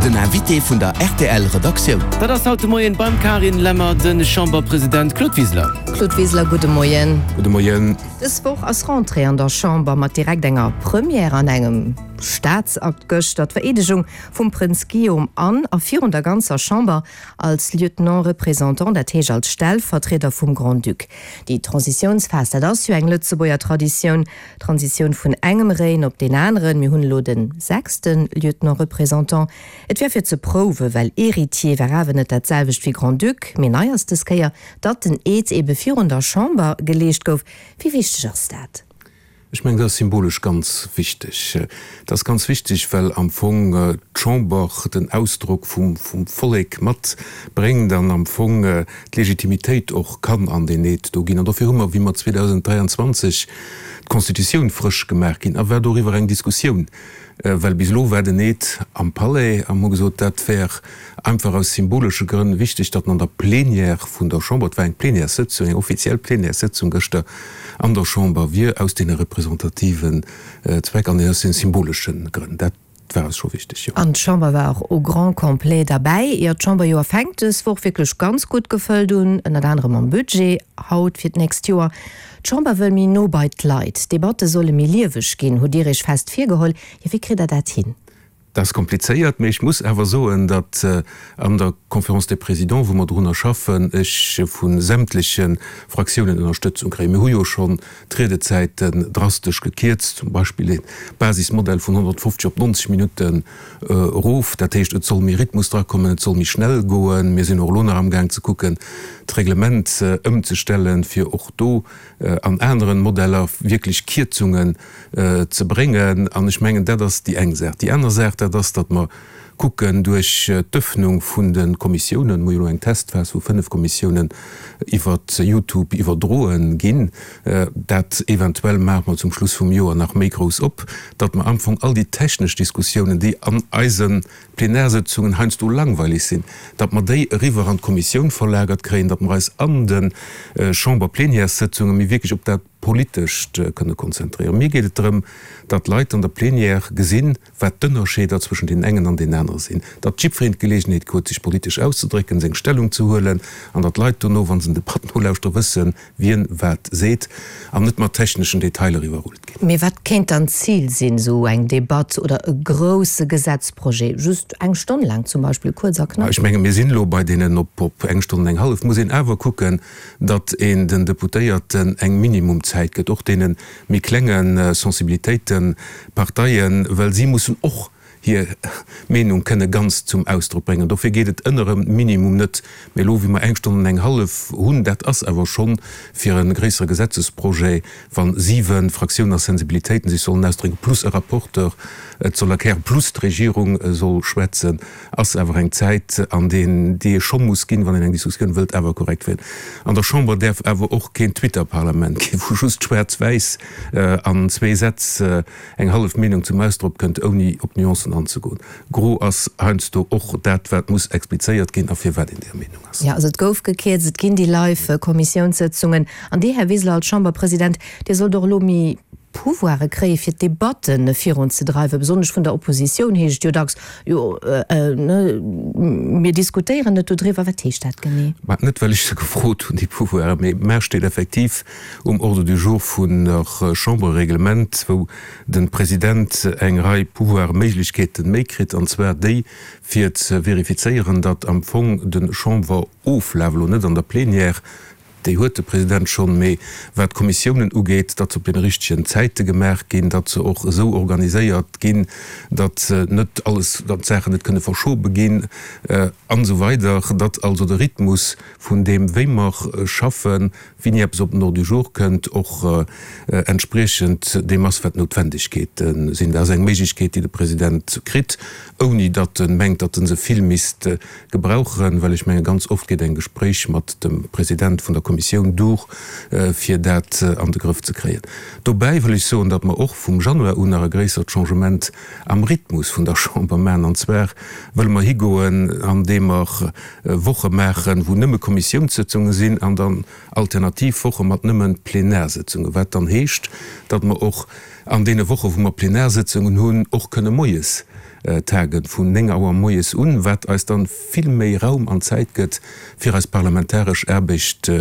Den Invité vun der rtl Redaktioun. Dat ass haut de Moien beim Carine Lemmer de Chamberpresident Claude Wiseler. Claude Wiseler, gudde Moien. Gudde Moien. Dës Woch ass Rentrée an der Chamber mat direkt enger Première an engem Staatsakt gëschter, d'Vereedegung vum Prënz Guillaume an a virun der ganzer Chamber als Lieutenant représentant, dat heescht als Stellvertrieder vum Grand-Duc. Déi Transitiounsphas, dat ass jo eng Lëtzebuerger Traditioun, Transitioun vun engem Règne op deen aneren. Mir hunn elo de sechste Lieutenant représentant. Et wär fir ze prouwen, well Héritier war awer net dat selwecht wéi Grand-Duc. Mee nei ass dës Kéier, datt den Eed ebe virun der Chamber geleescht gouf. Wéi wichteg ass dat? Ech mengen, dat ass symbolesch ganz wichteg. Dat ass ganz wichteg, well am Fong d'Chamber den Ausdrock vum Vollek matbréngt an am Fong d'Legitimitéit och kann an deen Eed do ginn. An dofir hu mer, wéi mer 2023 d'Constitutioun frësch gemaach ginn, a war doriwwer eng Diskussioun, well bis elo war den Eed am Palais, a mer hu gesot, dat wär einfach aus symbolesche Grënn wichteg, datt en an der Plénière vun der Chamber, et war eng Plénièressëtzung, eng offiziell Plénièressëtzung gëschter an der Chamber, wier aus deene representativen Zweck an aus deene symbolesche Grënn. Dat war eis scho wichteg, jo. An d'Chamber war och au grand complet derbäi. Jo, d'Chamberjoer fänkt dës Woch wierklech ganz gutt gefëllt un, ënnert anerem mam Budget haut fir d'nächst Joer. D'Chamber wëll méi no bei d'Leit, d'Debatte solle méi lieweg ginn, hutt Dir Iech fest virgeholl. Jo, wéi kritt Der dat hin? Dat ass komplizéiert, mee ech muss awer soen, datt an der Conférence des Présidents, wou mer drunner schaffen, ech vu sämtleche Fraktiounen Ënnerstëtzung kréien. Mir hu jo schonn d'Riedezäiten drastesch gekierzt, zum Beispill de Basismodell vun 150 op 90 Minutten erof. Dat heescht, et soll méi Rhythmus drakommen, et soll méi schnell goen. Mir sinn och elo nach amgaang ze kucken, d'Reglement ëmzestellen, fir och do an aneren Modeller wierklech Kierzungen ze bréngen. An ech mengen, dat ass déi eng Saach. Déi aner Saach, dat ass, datt mer kucken, duerch d'Öffnung vun de Kommissiounen, mer hu jo elo eng Testphas, wou 5 Kommissiounen iwwer Youtube iwwerdroe ginn, dat eventuell maache mer zum Schluss vum Joer nach méi grouss op, datt mer am Fong all déi technesch Diskussiounen, déi an eise Plenarsëtzungen heiansdo langweilig sinn, datt mer déi eriwwer an d'Kommissioun verlagert kréien, datt mer eis an de Chamberplenièressëtzunge méi wierklech op dat Politescht kënne konzentréieren. Mir geet et drëm, datt d'Leit an der Plenière gesinn, wat d'Ënnerscheeder zwëschen deenen engen an deenen anere sinn, datt jiddwereen d'Geleegenheet huet, sech politesch auszedrécken, seng Stellung ze huelen, an datt d'Leit dono, wa se den Debatten nolauschteren, wëssen, wien wat seet an net mat techneschen Detailer iwwerrullt ginn. Mee wat kéint dann d'Zil sinn, esou eng Debatt oder e grousse Gesetzprojet, just eng Stonn laang zum Beispill, kuerz a knapp? Ech menge mir sinn elo bei deenen op eng Stonn an eng hallef. Muss een awer kucken, datt een den Deputéierten eng Minimumzäit gëtt, och deene méi klenge Sensibilitéiten, Parteien, well si mussen och hir Meenung kënne ganz zum Ausdrock bréngen. Dofir geet et ënner e Minimum net. Mee elo, wéi mer eng Stonn an eng hallef hunn, dat ass awer schonn fir e gréissere Gesetzesprojet, wa siwe Fraktiounen a Sensibilitéiten sech sollen ausdrécken, plus e Rapporteur et soll erklären, plus d'Regierung soll schwätzen, ass awer eng Zäit, an deen, déi ee scho muss ginn, wann een eng Diskussioun wëllt awer korrekt féieren. An der Chamber däerf awer och keen Twitter-Parlament ginn, wou just schwaarz-wäiss an zwee Sätz eng hallef Meenung zum Ausdrock kënnt, ouni op d'Nuancen anzegoen. Gros ass heiansdo och dat, wat muss explizéiert ginn a firwat een där Meenung ass. Jo, also et gouf gekierzt, et ginn déi live Kommissiounssëtzungen. An Dir, Här Wiseler, als Chamberpresident, Dir sollt och elo méi Pouvoire kréie fir d'Debatte virunzedreiwen. Besonnesch vun der Oppositioun heescht et jo dacks, jo, ne, mir diskutéieren net dodriwwer. Wat heescht dat genee? Mä net well ech se gefrot hunn, déi Pouvoiren, mee mä steet effektiv um Ordre du jour vun der Chamberreglement, wou de President eng Rei Pouvoiren, Méiglechkeeten méi kritt, an zwar déi fir ze verifizéieren, datt am Fong de Chamberoflaf, elo net an der Plénière, déi huet de President schonn, mee wat d'Kommissiounen ugeet, datt se op deene richtegen Zäite gemaach ginn, datt se och esou organiséiert ginn, datt net alles, datt d'Saachen net kënne verschobe ginn an esou weider, datt also de Rhythmus vun deem wéi mer schaffen, Wéini eppes op den Ordre du jour kënnt, och entspriechend deem ass, wat d'Noutwendegkeete sinn. Dat ass eng Méiglechkeet, déi de President kritt, ouni datt e mengt, datt e se vill misst gebrauchen, well ech menge ganz oft geet eng Gespréich mat dem President vun der Kommissioun duer, fir dat an de Grëff ze kréien. Dobäi wëll ech soen, datt mer och vum Januar un nach e gréissert Changement am Rhythmus vun der Chamber maachen. An zwar wëlle mer higoen, andeem mer Woche maachen, wou nëmme Kommissiounssëtzunge sinn an dann alternativ Woche mat nëmme Plenarsëtzungen, wat dann heescht, datt mer och an deene Woche wou mer Plenarsëtzungen hunn, och kënne moies. Tagen, vun 9 Auer moies un, wat eis dann vill méi Raum an Zäit gëtt, fir eis parlamentaresch Aarbecht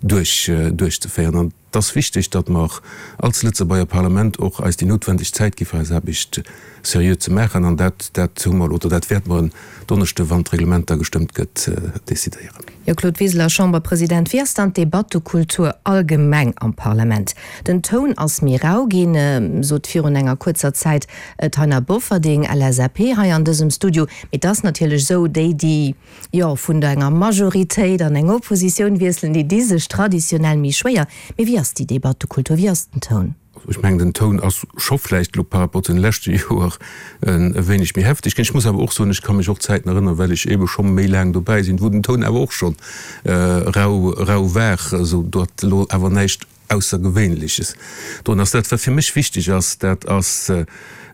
duerch duerchzeféieren. An et ass wichteg, datt mer als Lëtzebuerger Parlament och eis déi noutwendeg Zäit gi fir eis Aarbecht seriö ze maachen. An dat, dat hu mer elo, oder dat wäerte mer en Donneschde, wann d'Reglement da gestëmmt gëtt, decidéieren. Jo, Claude Wiseler, Chamberpresident, wéi ass dann d'Debattekultur allgemeng am Parlament? Den Toun ass méi rau ginn, sot virun enger kuerzer Zäit d'Taina Bofferding, LSAP, hei an dësem Studio. Mee et ass natierlech esou, déi, déi, jo, vun der enger Majoritéit an eng Oppositioun wiesselen, déi di sech traditionell méi schwéier. Mee wéi ass déi Debattekultur, wéi ass den Toun? Ech mengen, den Toun ass scho vläicht elo par rapport zu den leschte Joer e wéineg méi hefteg ginn. Ech muss awer och soen, ech ka mech och Zäiten erënneren, well ech eebe scho méi laang dobäi sinn, wou den Toun awer och scho rau, rau war, esou datt elo awer näischt Aussergewéinleches drun ass. Dat, wat fir mech wichteg ass, dat ass,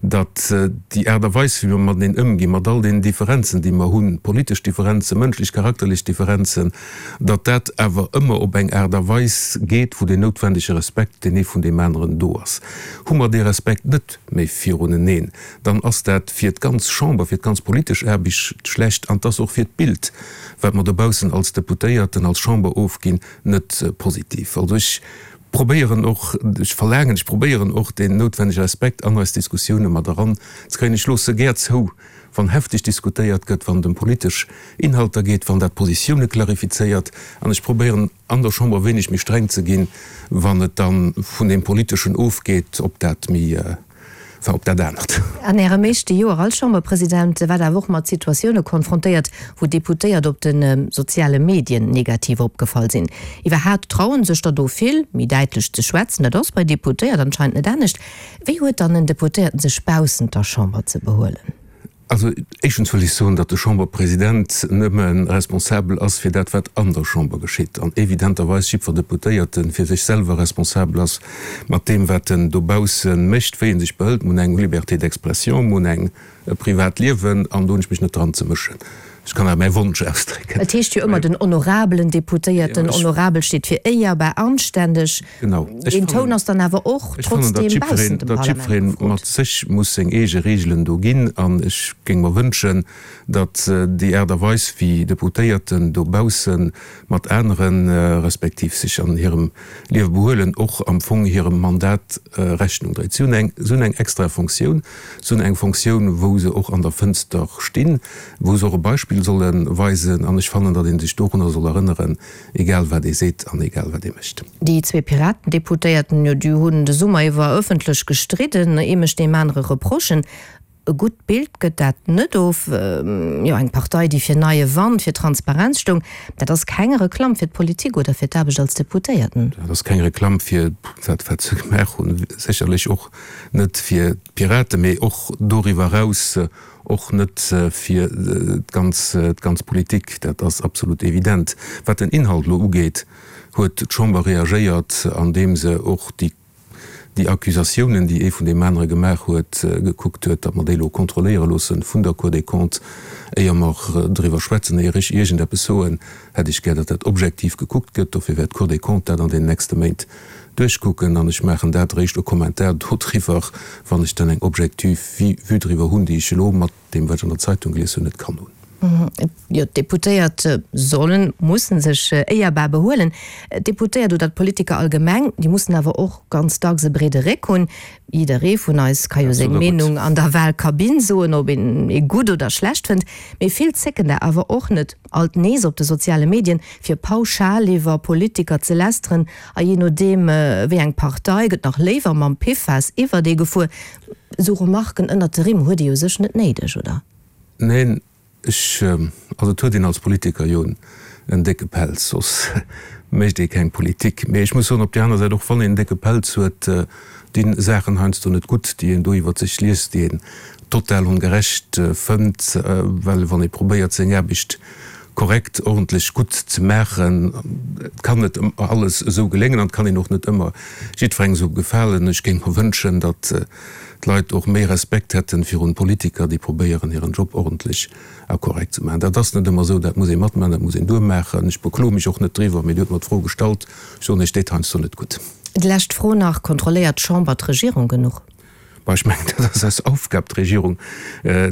datt déi Aart a Weis, wéi mer mateneen ëmginn, mat all deenen Differenzen, déi mer hunn, politesch Differenzen, mënschlech, charakterlech Differenzen, datt dat awer ëmmer op eng Aart a Weis geet, wou deen noutwendege Respekt, deen ee vun deem aneren do ass. Hu mer dee Respekt net méi viruneneen, dann ass dat fir d'ganz Chamber, fir d'ganz politesch Aarbecht schlecht an 't ass och fir d'Bild, wat mer dobaussen als Deputéierten, als Chamber ofginn, net positiv. Also ech probéieren och, ech verlaangen, ech probéieren och deen noutwennege Respekt an eis Diskussioune mat eran ze kréien. Ech loosse gär zou, wann hefteg diskutéiert gëtt, wann et ëm politesch Inhalter geet, wann dat Positioune klarifizéiert. An ech probéieren an der Chamber wéineg méi streng ze ginn, wann et da vun deem Politeschen ofgeet, ob dat méi war op dat anert. An Ärem éischte Joer als Chamberpresident waart awer och mat Situatioune konfrontéiert, wou Deputéiert op de soziale Medien negativ opgefall sinn. Iwwerhaat trauen sech der do vill, méi däitlech ze schwätzen. Dat ass bei Deputéiert anscheinend net anescht. Wéi huet dann en Deputéierten sech baussent der Chamber ze behuelen? Also éischtens wëll ech soen, datt de Chamberpresident nëmme responsabel ass fir dat, wat an der Chamber geschitt, an evidenterweis jiddwer Deputéierte fir sech selwer responsabel ass mat deem, wat en dobausse mécht, wéi e sech behëlt. Mir hunn eng Liberté d'expression, mir hunn eng e privat Liewen, an do hunn ech mech net dran ze mëschen. Ech kann awer mäi Wonsch ausdrécken. Et heescht jo ëmmer den honorabelen Deputéierten. Honorabel steet fir éierbar, anständeg. Genau. Deen Toun ass dann awer och trotzdeem baussent dem Parlament gefrot. Datt jiddweree mat sech muss seng eege Reegelen do ginn. An ech géing mer wënschen, datt déi Aart a Weis, wéi Deputéierten dobausse mat anere respektiv sech an hirem Liewe behuelen, och am Fong hirem Mandat Rechnung dréit. Si hunn eng, si hunn eng extra Fonctioun. Si hunn eng Fonctioun, wou se och an der Fënster stinn, wou se och e Beispill solle weisen. An ech fannen, datt ee sech dorunner soll erënneren, egal wat ee seet an egal wat ee mécht. Déi zwee Piraten-Deputéierten, jo, déi hunn de Summer iwwer ëffentlech gestridden. Ee mécht deem anere Reprochen. E gutt Bild gëtt dat net of. Jo, eng Partei, déi fir neie Wand, fir Transparenz stoung, dat ass keng Reklamm fir d'Politik oder fir d'Aarbecht als Deputéierten. Dat ass keng Reklamm fir dat, wat se gemaach hunn. Sécherlech och net fir d'Piraten, mee och doriwwer eraus och net fir d'ganz, d'ganz Politik. Dat ass absolut evident. Wat den Inhalt elo ugeet, huet d'Chamber reagéiert, andeem se och déi, déi Accusatiounen, déi ee vun deem anere gemaach huet, gekuckt huet, datt mer déi elo kontrolléiere loosse vun der Cour des Comptes. Éier mer driwwer schwätzen, éier ech iergendeppes soen, hätt ech gär, datt dat objektiv gekuckt gëtt. Dofir wäert d'Cour des Comptes dat an deenen nächste Méint duerchkucken an ech maachen dat eréischt e Kommentar dodriwwer, wann ech dann eng objektiv Vue driwwer hunn, déi ech elo mat deem, wat ech an der Zeitung gelies hunn, net kann hunn. Jo, d'Deputéiert sollen, mussen sech éierbar behuelen. D'Deputéiert oder d'Politiker allgemeng, déi mussen awer och ganz dacks e breede Réck hunn. Jidderee vun eis ka jo seng Meenung an der Wahlkabinn soen, ob een ee gutt oder schlecht fënnt. Mee vill zécken der awer och net, alt nees op de soziale Medien, fir pauschal iwwer Politiker ze lästeren. A jee nodeem wéi eng Partei, gëtt nach léiwer mam Piffaass iwwert ee gefuer. Esou Remarken ënnert de Rimm huet ee jo sech net néideg, oder? Neen, ech, also et huet een als Politiker jo en décke Pelz, soss mécht ee keng Politik. Mee ech muss soen, op där aner Säit, och wann een en décke Pelz huet, dinn Saachen heiansdo net gutt, déi een do iwwert sech liest, déi een total ongerecht fënnt, well wann ee probéiert seng Aarbecht korrekt, ordentlech, gutt ze maachen, et kann net ëmmer alles esou geléngen an et kann een och net ëmmer jiddwerengem esou gefalen. Ech géing mer wënschen, datt d'Leit och méi Respekt hätten virun Politiker, déi probéieren hiren Job ordentlech a korrekt ze maachen. Dat ass net ëmmer esou, dat muss ee matmaachen, dat muss een duermaachen. Ech bekloe mech och net driwwer, mee Dir hutt mer d'Fro gestallt, ech soen Iech, déit heiansdo net gutt. Déi lescht Fro nach, Kontrolléiert d'Chamber d'Regierung genuch? Bah, ech mengen, dat ass eis Aufgab, d'Regierung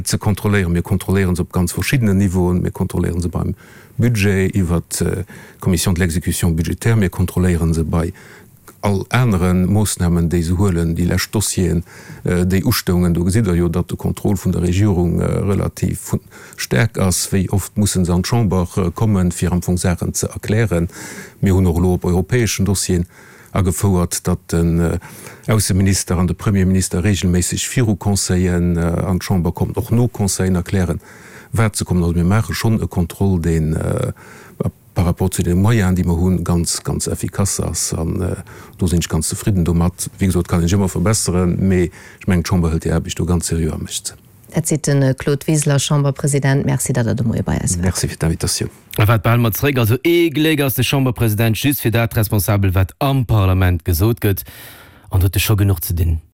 ze kontrolléieren. Mir kontrolléiere se op ganz verschiddenen Niveauen. Mir kontrolléiere se beim Budget iwwert d'Commission de l'exécution budgétaire. Mir kontrolléiere se bei all anere Moossnamen, déi se huelen. Déi lescht Dossieren, déi ustoungen, do gesitt Der jo, datt de Contrôle vun der Regierung relativ staark ass. Wéi oft musse se an d'Chamber kommen, fir am Fong Saachen ze erklären? Mir hunn och elo op europäeschen Dossieren agefouert, datt den Ausseminister an de Premierminister regelméisseg viru Conseillen an d'Chamber kommen, och no Conseillen erklären, wat se kommen. Also mir maache schonn e Contrôle, deen par rapport zu deene Moyenen, déi mer hunn, ganz, ganz effikass ass. An do sinn ech ganz zefridden domat. Wéi gesot, kann een sech ëmmer verbesseren, mee ech mengen, d'Chamber hëlt hir Aarbecht do ganz seriö a mécht se. Dat seet de Claude Wiseler, Chamberpresident. Merci, datt Der de Moie bei eis waart. Merci fir d'Invitatioun. A wat behale mer zeréck? Also ee Gléck ass de Chamberpresident just fir dat responsabel, wat am Parlament gesot gëtt. An do huet e scho genuch ze dinn.